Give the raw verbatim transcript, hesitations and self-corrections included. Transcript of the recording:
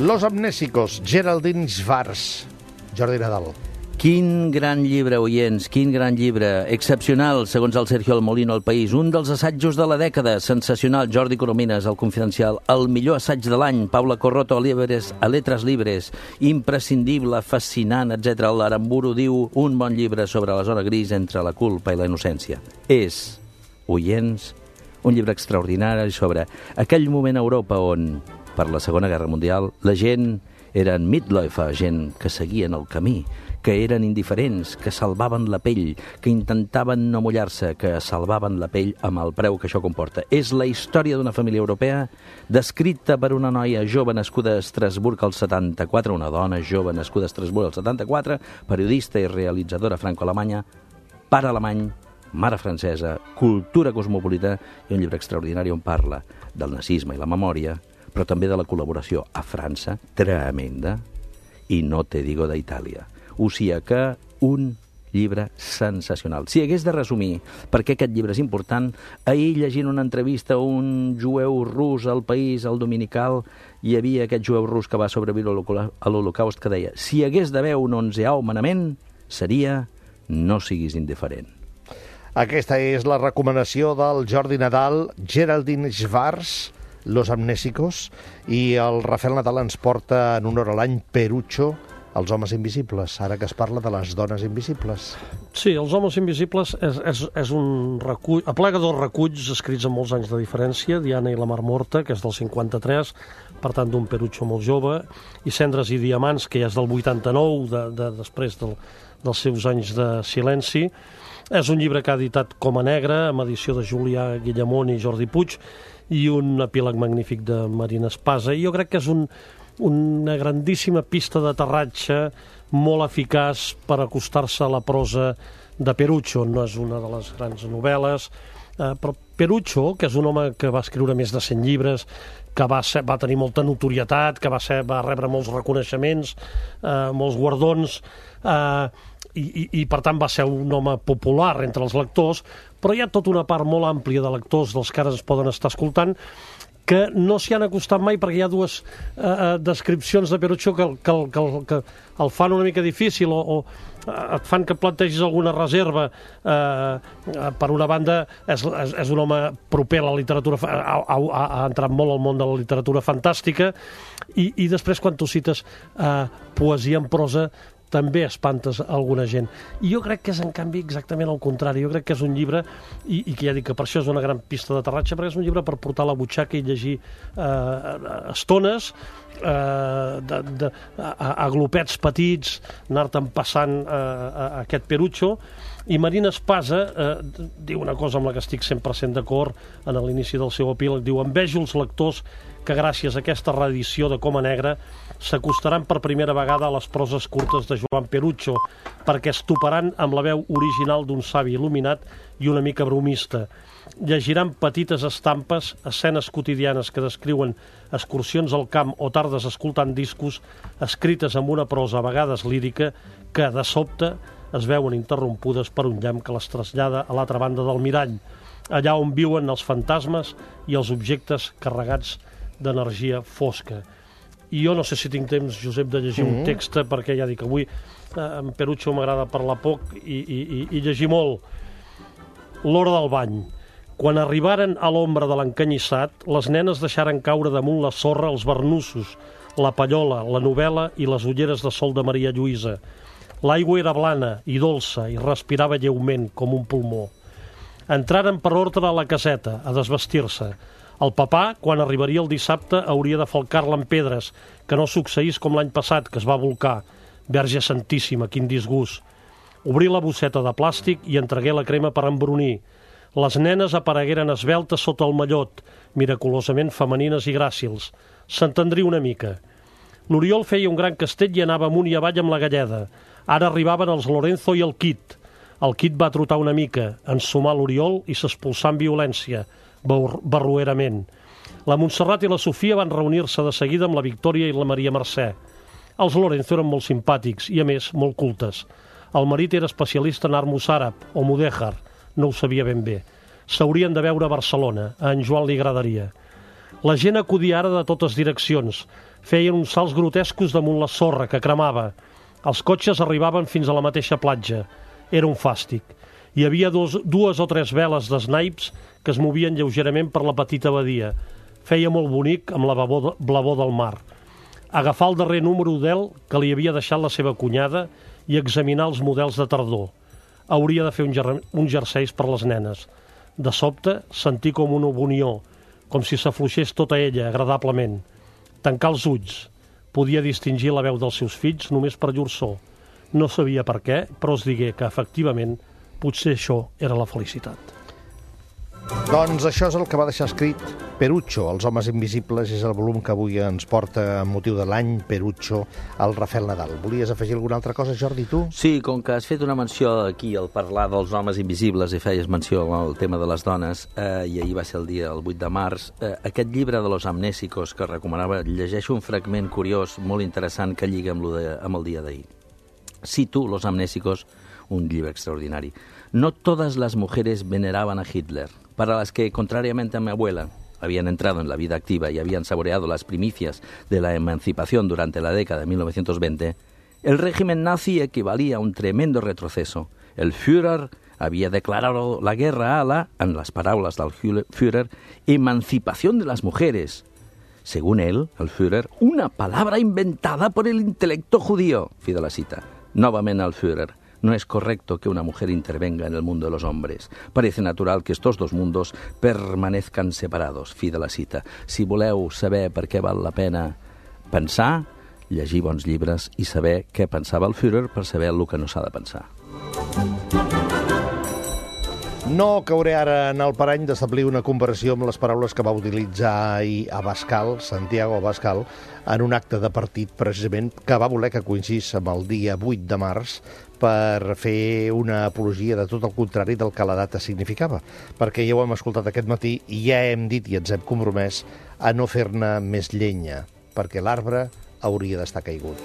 Los amnésicos, Geraldine Schwartz. Jordi Nadal. Quin gran llibre, oients, quin gran llibre. Excepcional, segons el Sergio Almolino al País. Un dels assajos de la dècada. Sensacional, Jordi Coromines, El Confidencial. El millor assaig de l'any, Paula Corroto, a Libres, a Letres Libres. Imprescindible, fascinant, etcètera. L'Aramburu diu un bon llibre sobre la zona gris entre la culpa i la innocència. És, oients, un llibre extraordinari sobre aquell moment a Europa on, per la Segona Guerra Mundial, la gent eren Mitläufer, gent que seguien el camí, que eren indiferents, que salvaven la pell, que intentaven no mullar-se, que salvaven la pell amb el preu que això comporta. És la història d'una família europea descrita per una noia jove nascuda a Estrasburg al setanta-quatre, una dona jove nascuda a Estrasburg al setanta-quatre, periodista i realitzadora franco-alemanya, pare alemany, mare francesa, cultura cosmopolita i un llibre extraordinari on parla del nazisme i la memòria, però també de la col·laboració a França, tremenda, i no te digo d'Itàlia. O sigui que un llibre sensacional. Si hagués de resumir per què aquest llibre és important, ahir llegint una entrevista a un jueu rus al País, al Dominical, hi havia aquest jueu rus que va sobreviure a l'Holocaust que deia si hagués d'haver un onzeau manament, seria no siguis indiferent. Aquesta és la recomanació del Jordi Nadal, Geraldine Schwartz, Los amnésicos, i el Rafael Nadal ens porta en honor a l'any Perucho, Els homes invisibles, ara que es parla de les dones invisibles. Sí, Els homes invisibles és, és, és un recull, aplega dos reculls escrits amb molts anys de diferència, Diana i la Mar Morta, que és del cinquanta-tres, per tant d'un Perucho molt jove, i Cendres i diamants, que ja és del vuitanta-nou, de, de, després del, dels seus anys de silenci. És un llibre que ha editat Coma Negra, amb edició de Julià Guillamont i Jordi Puig, i un epíleg magnífic de Marina Espasa. I jo crec que és un, una grandíssima pista d'aterratge molt eficaç per acostar-se a la prosa de Perucho. No és una de les grans novel·les, eh, però Perucho, que és un home que va escriure més de cent llibres, que va, ser, va tenir molta notorietat, que va, ser, va rebre molts reconeixements, eh, molts guardons, eh, i, i, i per tant va ser un home popular entre els lectors, però hi ha tota una part molt àmplia de lectors dels que ara es poden estar escoltant que no s'hi han acostat mai perquè hi ha dues eh, descripcions de Perucho que, que, que, que el fan una mica difícil o, o et fan que plantegis alguna reserva. Eh, per una banda, és, és, és un home proper a la literatura, ha, ha, ha entrat molt al món de la literatura fantàstica, i, i després quan tu cites eh, poesia en prosa també espantes alguna gent. I jo crec que és, en canvi, exactament el contrari. Jo crec que és un llibre, i, i que ja dic que per això és una gran pista d'aterratge, perquè és un llibre per portar a la butxaca i llegir eh, estones, eh, de, de, a, a glopets petits, anar-te'n passant eh, a, a aquest Perucho. I Marina Espasa eh, diu una cosa amb la que estic cent per cent d'acord en l'inici del seu epíleg, diu: envejo els lectors que gràcies a aquesta reedició de Coma Negra s'acostaran per primera vegada a les proses curtes de Joan Perucho, perquè es toparan amb la veu original d'un savi il·luminat i una mica bromista. Llegiran petites estampes, escenes quotidianes que descriuen excursions al camp o tardes escoltant discos, escrites amb una prosa a vegades lírica, que, de sobte, es veuen interrompudes per un llamp que les trasllada a l'altra banda del mirall, allà on viuen els fantasmes i els objectes carregats d'energia fosca. I jo no sé si tinc temps, Josep, de llegir mm. un text, perquè ja dic, avui eh, en Perucho m'agrada parlar poc i, i, i llegir molt. L'hora del bany. Quan arribaren a l'ombra de l'encanyissat, les nenes deixaren caure damunt la sorra els barnussos, la pallola, la novel·la i les ulleres de sol de Maria Lluïsa. L'aigua era blana i dolça i respirava lleument com un pulmó. Entraren per ordre a la caseta, a desvestir-se. El papà, quan arribaria el dissabte, hauria de falcar-la amb pedres, que no succeís com l'any passat, que es va volcar. Verge Santíssima, quin disgust. Obrí la bosseta de plàstic i entregué la crema per embrunir. Les nenes aparegueren esveltes sota el mallot, miraculosament femenines i gràcils. S'entendria una mica. L'Oriol feia un gran castell i anava amunt i avall amb la galleda. Ara arribaven els Lorenzo i el Kit. El Kit va trotar una mica, ensumar l'Oriol i s'expulsar amb violència, barroerament. La Montserrat i la Sofia van reunir-se de seguida amb la Victòria i la Maria Mercè. Els Lorenzo eren molt simpàtics i, a més, molt cultes. El marit era especialista en art mossàrab o mudèjar, no ho sabia ben bé. S'haurien de veure a Barcelona, a en Joan li agradaria. La gent acudia ara de totes direccions. Feien uns salts grotescos damunt la sorra, que cremava. Els cotxes arribaven fins a la mateixa platja. Era un fàstic. Hi havia dos, dues o tres veles d'esnaips que es movien lleugerament per la petita badia. Feia molt bonic amb la blavor, blavor del mar. Agafar el darrer número d'El que li havia deixat la seva cunyada i examinar els models de tardor. Hauria de fer un, ger un jerseis per les nenes. De sobte, sentir com una unió, com si s'afluixés tota ella, agradablement. Tancar els ulls. Podia distingir la veu dels seus fills només per llur so. No sabia per què, però es digué que, efectivament, potser això era la felicitat. Doncs això és el que va deixar escrit Perucho, Els homes invisibles, és el volum que avui ens porta amb motiu de l'any Perucho, el Rafael Nadal. Volies afegir alguna altra cosa, Jordi, tu? Sí, com que has fet una menció aquí al parlar dels homes invisibles i feies menció al tema de les dones, eh, i ahir va ser el dia, el vuit de març, eh, aquest llibre de los amnésicos que recomanava, llegeixo un fragment curiós, molt interessant, que lliga amb, lo de, amb el dia d'ahir. Cito Los amnésicos, un llibre extraordinari. No todas las mujeres veneraban a Hitler. Para las que, contrariamente a mi abuela, habían entrado en la vida activa y habían saboreado las primicias de la emancipación durante la década de mil novecientos veinte, el régimen nazi equivalía a un tremendo retroceso. El Führer había declarado la guerra a la, en las palabras del Führer, emancipación de las mujeres. Según él, el Führer, una palabra inventada por el intelecto judío. Fi de la cita. Novamente al Führer. No es correcto que una mujer intervenga en el mundo de los hombres. Parece natural que estos dos mundos permanezcan separados. Fi de la cita. Si voleu saber per què val la pena pensar, llegir bons llibres i saber què pensava el Führer per saber el que no s'ha de pensar. No cauré ara en el parany d'establir una comparació amb les paraules que va utilitzar ahir Abascal, Santiago Abascal, en un acte de partit, precisament, que va voler que coincidís amb el dia vuit de març per fer una apologia de tot el contrari del que la data significava. Perquè ja ho hem escoltat aquest matí i ja hem dit i ens hem compromès a no fer-ne més llenya, perquè l'arbre hauria d'estar caigut.